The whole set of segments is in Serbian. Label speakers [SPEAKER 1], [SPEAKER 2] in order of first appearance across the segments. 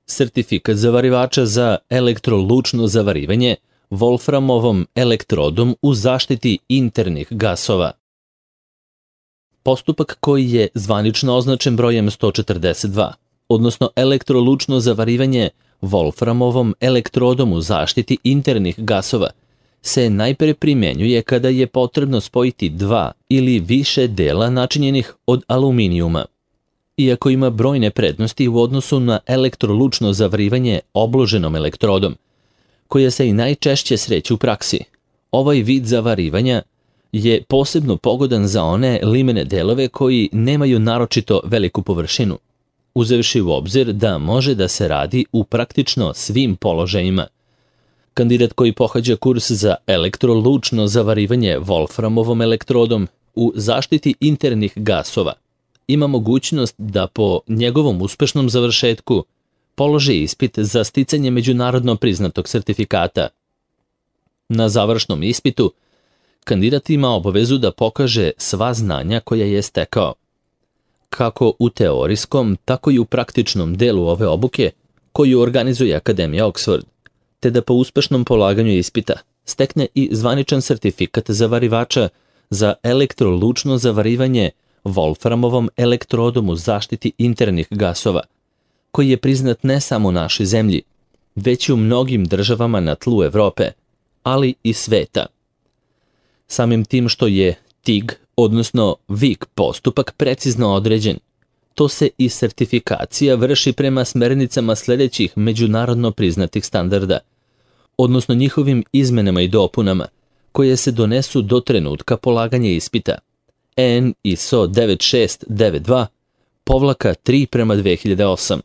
[SPEAKER 1] sertifikat zavarivača za elektrolučno zavarivanje volframovom elektrodom u zaštiti internih gasova. Postupak koji je zvanično označen brojem 142, odnosno elektrolučno zavarivanje volframovom elektrodom u zaštiti internih gasova, se najpre primenjuje kada je potrebno spojiti dva ili više dela načinjenih od aluminijuma. Iako ima brojne prednosti u odnosu na elektrolučno zavarivanje obloženom elektrodom, koja se i najčešće sreće u praksi, ovaj vid zavarivanja je posebno pogodan za one limene delove koji nemaju naročito veliku površinu, uzevši u obzir da može da se radi u praktično svim položajima. Kandidat koji pohađa kurs za elektrolučno zavarivanje volframovom elektrodom u zaštiti internih gasova ima mogućnost da po njegovom uspešnom završetku položi ispit za sticanje međunarodno priznatog sertifikata. Na završnom ispitu kandidat ima obavezu da pokaže sva znanja koja je stekao, kako u teorijskom, tako i u praktičnom delu ove obuke koju organizuje Akademija Oxford, te da po uspešnom polaganju ispita stekne i zvaničan sertifikat zavarivača za elektrolučno zavarivanje volframovom elektrodom u zaštiti internih gasova, koji je priznat ne samo u našoj zemlji, već i u mnogim državama na tlu Evrope, ali i sveta. Samim tim što je TIG, odnosno VIG postupak precizno određen, to se i sertifikacija vrši prema smernicama sljedećih međunarodno priznatih standarda, odnosno njihovim izmenama i dopunama, koje se donesu do trenutka polaganja ispita. EN ISO 9692-3/2008,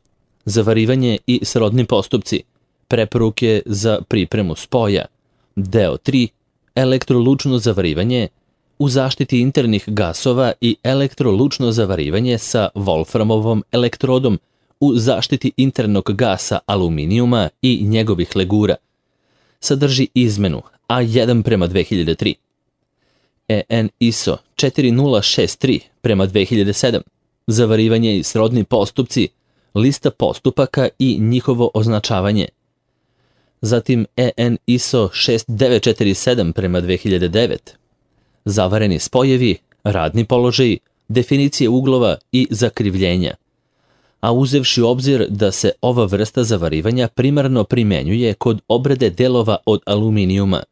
[SPEAKER 1] zavarivanje i srodni postupci, preporuke za pripremu spoja, deo 3, elektrolučno zavarivanje u zaštiti internih gasova i elektrolučno zavarivanje sa volframovom elektrodom u zaštiti internog gasa aluminijuma i njegovih legura, sadrži izmenu A1/2003. EN ISO 4063/2007, zavarivanje i srodni postupci, lista postupaka i njihovo označavanje. Zatim EN ISO 6947/2009, zavareni spojevi, radni položaji, definicije uglova i zakrivljenja. A uzevši u obzir da se ova vrsta zavarivanja primarno primenjuje kod obrade delova od aluminijuma,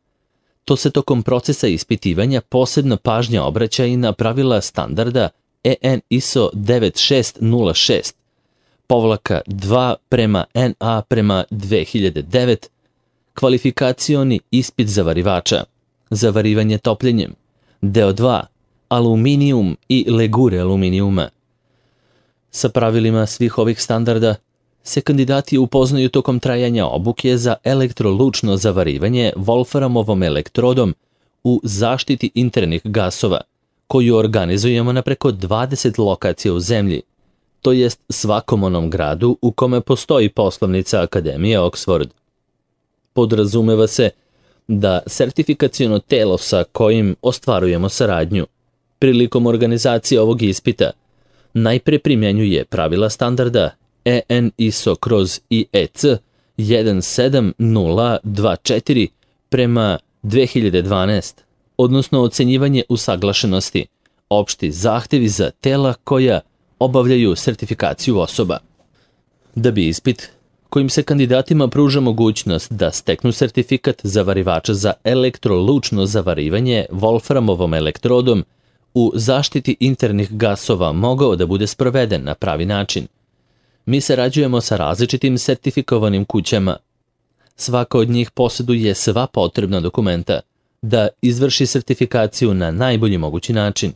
[SPEAKER 1] to se tokom procesa ispitivanja posebna pažnja obraća i na pravila standarda EN ISO 96-2/NA/2009, kvalifikacioni ispit zavarivača, zavarivanje topljenjem, deo 2, aluminijum i legure aluminijuma. Sa pravilima svih ovih standarda se kandidati upoznaju tokom trajanja obuke za elektrolučno zavarivanje volframovom elektrodom u zaštiti internih gasova, koju organizujemo na preko 20 lokacija u zemlji, to jest svakom onom gradu u kome postoji poslovnica Akademije Oxford. Podrazumeva se da sertifikaciono telo sa kojim ostvarujemo saradnju prilikom organizacije ovog ispita najpre primjenjuje pravila standarda EN ISO/IEC 17024/2012, odnosno ocenjivanje usaglašenosti, opšti zahtevi za tela koja obavljaju sertifikaciju osoba. Da bi ispit, kojim se kandidatima pruža mogućnost da steknu sertifikat zavarivača za elektrolučno zavarivanje volframovom elektrodom u zaštiti internih gasova mogao da bude sproveden na pravi način, mi sarađujemo sa različitim sertifikovanim kućama. Svaka od njih posjeduje sva potrebna dokumenta da izvrši sertifikaciju na najbolji mogući način,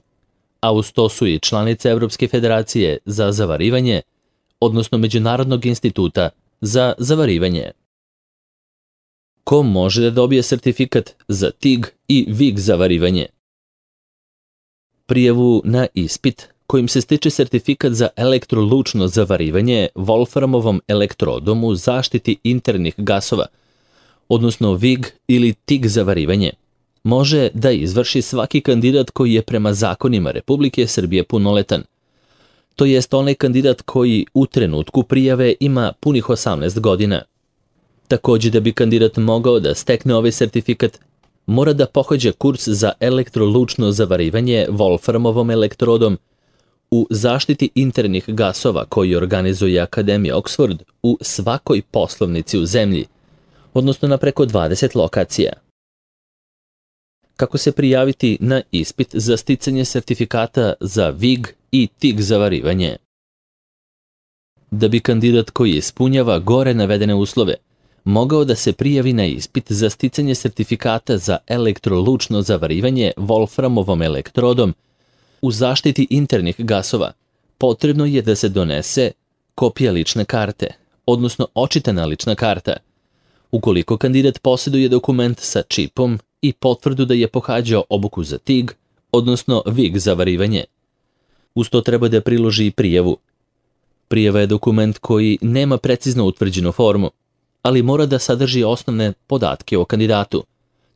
[SPEAKER 1] a uz to su i članice Evropske federacije za zavarivanje, odnosno Međunarodnog instituta za zavarivanje. Ko može da dobije sertifikat za TIG i VIG zavarivanje? Prijavu na ispit kojim se stiče sertifikat za elektrolučno zavarivanje volframovom elektrodom u zaštiti internih gasova, odnosno VIG ili TIG zavarivanje, može da izvrši svaki kandidat koji je prema zakonima Republike Srbije punoletan. to jest onaj kandidat koji u trenutku prijave ima punih 18 godina. Takođe, da bi kandidat mogao da stekne ovaj sertifikat, mora da pohađa kurs za elektrolučno zavarivanje Wolframovom elektrodom u zaštiti internih gasova koji organizuje Akademija Oxford u svakoj poslovnici u zemlji, odnosno na preko 20 lokacija. Kako se prijaviti na ispit za sticanje sertifikata za VIG i TIG zavarivanje? Da bi kandidat koji ispunjava gore navedene uslove mogao da se prijavi na ispit za sticanje sertifikata za elektrolučno zavarivanje Wolframovom elektrodom u zaštiti internih gasova, potrebno je da se donese kopija lične karte, odnosno očitana lična karta, ukoliko kandidat posjeduje dokument sa čipom i potvrdu da je pohađao obuku za TIG, odnosno VIG zavarivanje. Uz to treba da priloži i prijavu. Prijava je dokument koji nema precizno utvrđenu formu, ali mora da sadrži osnovne podatke o kandidatu,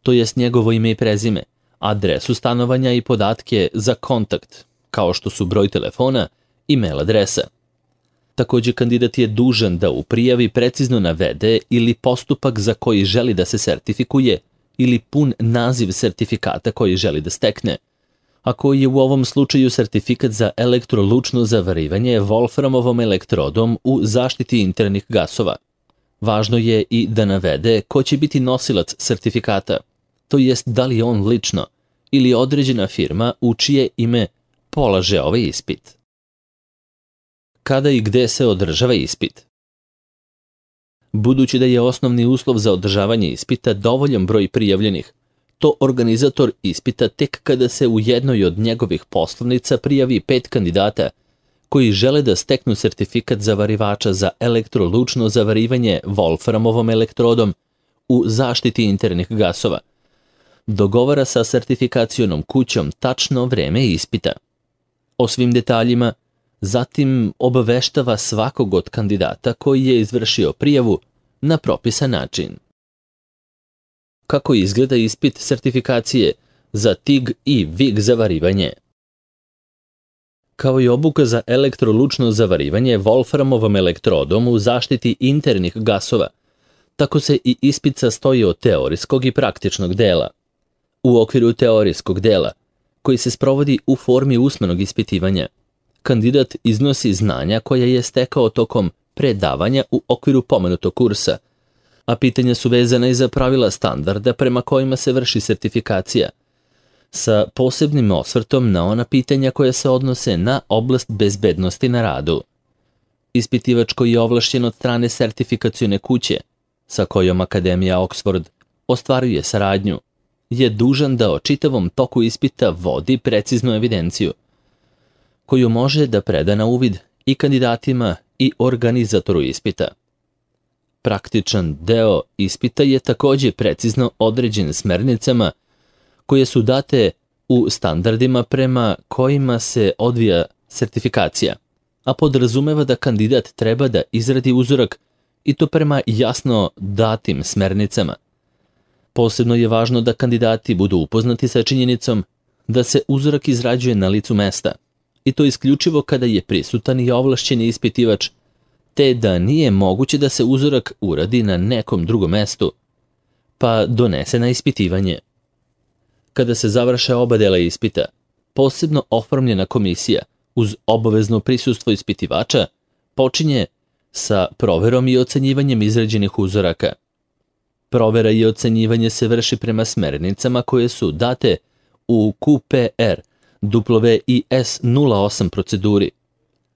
[SPEAKER 1] to jest njegovo ime i prezime, adresu stanovanja i podatke za kontakt, kao što su broj telefona i mail adresa. Takođe, kandidat je dužan da u prijavi precizno navede ili postupak za koji želi da se sertifikuje ili pun naziv sertifikata koji želi da stekne, a koji je u ovom slučaju sertifikat za elektrolučno zavarivanje Wolframovom elektrodom u zaštiti internih gasova. Važno je i da navede ko će biti nosilac sertifikata, to jest da li on lično ili određena firma u čije ime polaže ovaj ispit. Kada i gde se održava ispit? Budući da je osnovni uslov za održavanje ispita dovoljan broj prijavljenih, to organizator ispita tek kada se u jednoj od njegovih poslovnica prijavi 5 kandidata koji žele da steknu sertifikat zavarivača za elektrolučno zavarivanje Wolframovom elektrodom u zaštiti internih gasova, dogovara sa sertifikacionom kućom tačno vreme ispita. O svim detaljima zatim obaveštava svakog od kandidata koji je izvršio prijavu na propisan način. Kako izgleda ispit sertifikacije za TIG i VIG zavarivanje? Kao i obuka za elektrolučno zavarivanje Wolframovom elektrodom u zaštiti internih gasova, tako se i ispit sastoji od teorijskog i praktičnog dela. U okviru teorijskog dela, koji se sprovodi u formi usmenog ispitivanja, kandidat iznosi znanja koja je stekao tokom predavanja u okviru pomenutog kursa, a pitanja su vezana i za pravila standarda prema kojima se vrši sertifikacija, sa posebnim osvrtom na ona pitanja koja se odnose na oblast bezbednosti na radu. Ispitivač koji je ovlašćen od strane sertifikacione kuće, sa kojom Akademija Oxford ostvaruje saradnju, je dužan da o čitavom toku ispita vodi preciznu evidenciju, koju može da preda na uvid i kandidatima i organizatoru ispita. Praktičan deo ispita je takođe precizno određen smernicama koje su date u standardima prema kojima se odvija sertifikacija, a podrazumeva da kandidat treba da izradi uzorak i to prema jasno datim smernicama. Posebno je važno da kandidati budu upoznati sa činjenicom da se uzorak izrađuje na licu mesta, i to isključivo kada je prisutan i ovlašćeni ispitivač, te da nije moguće da se uzorak uradi na nekom drugom mestu, pa donese na ispitivanje. Kada se završe oba dela ispita, posebno oformljena komisija uz obavezno prisustvo ispitivača počinje sa proverom i ocenjivanjem izrađenih uzoraka. Provera i ocenjivanje se vrši prema smernicama koje su date u QPR WIS 08 proceduri,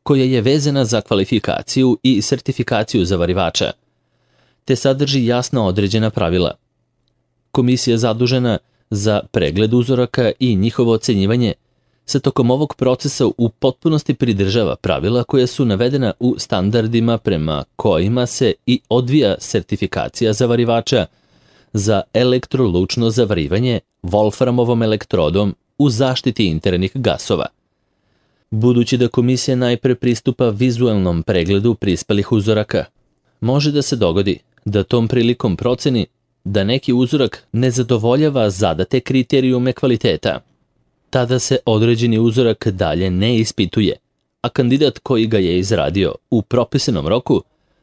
[SPEAKER 1] koja je vezana za kvalifikaciju i sertifikaciju zavarivača, te sadrži jasno određena pravila. Komisija zadužena za pregled uzoraka i njihovo ocenjivanje se tokom ovog procesa u potpunosti pridržava pravila koja su navedena u standardima prema kojima se i odvija sertifikacija zavarivača za elektrolučno zavarivanje Wolframovom elektrodom u zaštiti internih gasova. Budući da komisija najpre pristupa vizualnom pregledu prispelih uzoraka, može da se dogodi da tom prilikom proceni da neki uzorak ne zadovoljava zadate kriterijume kvaliteta. Tada se određeni uzorak dalje ne ispituje, a kandidat koji ga je izradio u propisanom roku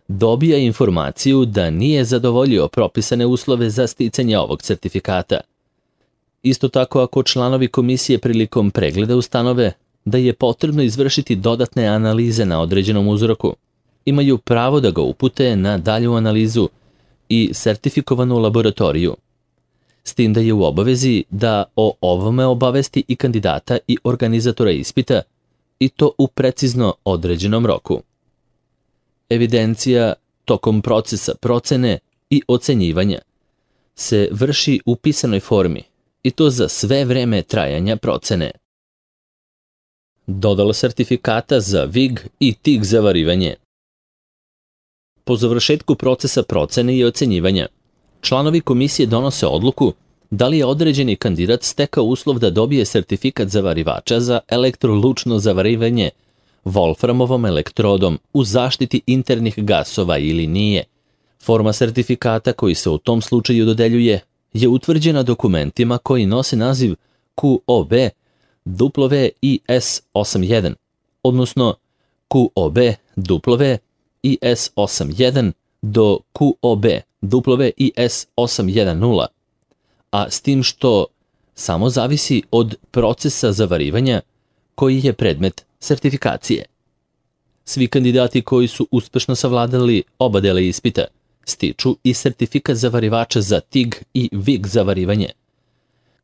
[SPEAKER 1] dobija informaciju da nije zadovoljio propisane uslove za sticanje ovog sertifikata. Isto tako, ako članovi komisije prilikom pregleda ustanove da je potrebno izvršiti dodatne analize na određenom uzorku, imaju pravo da ga upute na dalju analizu i sertifikovanu laboratoriju, s tim da je u obavezi da o ovome obavesti i kandidata i organizatora ispita, i to u precizno određenom roku. Evidencija tokom procesa procene i ocenjivanja se vrši u pisanoj formi, i to za sve vreme trajanja procene. Dodala sertifikata za VIG i TIG zavarivanje. Po završetku procesa procene i ocenjivanja, članovi komisije donose odluku da li je određeni kandidat stekao uslov da dobije sertifikat zavarivača za elektrolučno zavarivanje Wolframovom elektrodom u zaštiti internih gasova ili nije. Forma sertifikata koji se u tom slučaju dodeljuje je utvrđena dokumentima koji nose naziv QOB WIS81, odnosno QOB WIS81 do QOB WIS810, a s tim što samo zavisi od procesa zavarivanja koji je predmet sertifikacije. Svi kandidati koji su uspešno savladali oba dela ispita stiču i sertifikat zavarivača za TIG i VIG zavarivanje.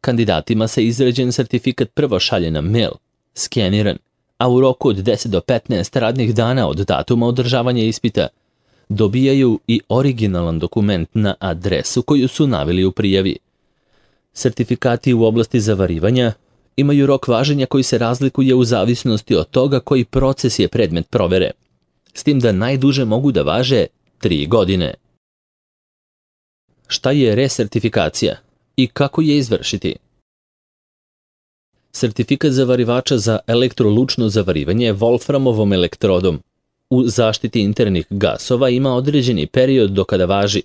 [SPEAKER 1] Kandidatima se izrađen sertifikat prvo šalje na mail, skeniran, a u roku od 10 do 15 radnih dana od datuma održavanja ispita dobijaju i originalan dokument na adresu koju su naveli u prijavi. Sertifikati u oblasti zavarivanja imaju rok važenja koji se razlikuje u zavisnosti od toga koji proces je predmet provere, s tim da najduže mogu da važe 3 godine. Šta je resertifikacija i kako je izvršiti? Sertifikat zavarivača za elektrolučno zavarivanje Wolframovom elektrodom u zaštiti internih gasova ima određeni period do kada važi,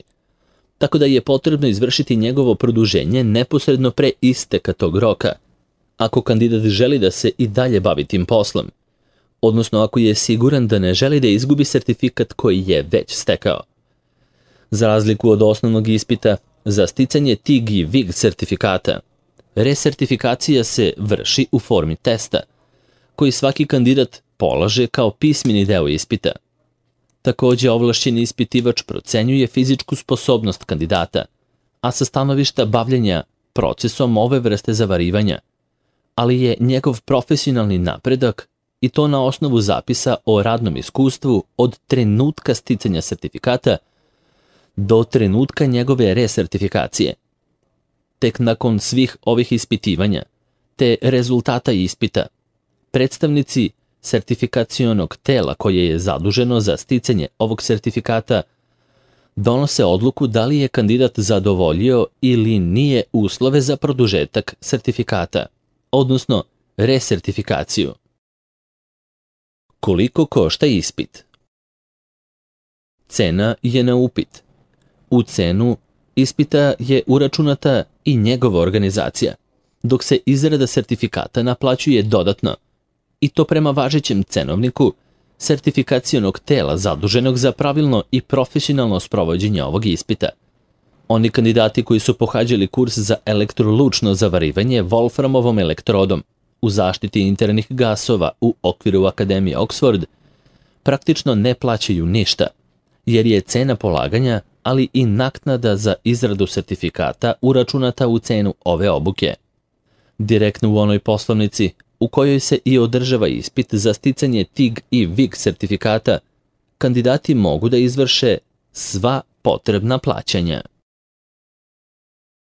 [SPEAKER 1] tako da je potrebno izvršiti njegovo produženje neposredno pre isteka tog roka, ako kandidat želi da se i dalje bavi tim poslom, odnosno ako je siguran da ne želi da izgubi sertifikat koji je već stekao. Za razliku od osnovnog ispita, za sticanje TIG i VIG sertifikata, resertifikacija se vrši u formi testa, koji svaki kandidat polaže kao pismeni deo ispita. Takođe, ovlašćeni ispitivač procenjuje fizičku sposobnost kandidata, a sa stanovišta bavljenja procesom ove vrste zavarivanja, ali je njegov profesionalni napredak i to na osnovu zapisa o radnom iskustvu od trenutka sticanja sertifikata do trenutka njegove resertifikacije. Tek nakon svih ovih ispitivanja te rezultata ispita, predstavnici sertifikacionog tela koje je zaduženo za sticanje ovog sertifikata donose odluku da li je kandidat zadovoljio ili nije uslove za produžetak sertifikata, odnosno resertifikaciju. Koliko košta ispit? Cena je na upit. U cenu ispita je uračunata i njegova organizacija, dok se izrada sertifikata naplaćuje dodatno, i to prema važećem cenovniku sertifikacionog tela zaduženog za pravilno i profesionalno sprovođenje ovog ispita. Oni kandidati koji su pohađali kurs za elektrolučno zavarivanje Wolframovom elektrodom u zaštiti internih gasova u okviru Akademije Oxford praktično ne plaćaju ništa, jer je cena polaganja, ali i naknada za izradu sertifikata uračunata u cenu ove obuke. Direktno u onoj poslovnici u kojoj se i održava ispit za sticanje TIG i VIG sertifikata, kandidati mogu da izvrše sva potrebna plaćanja.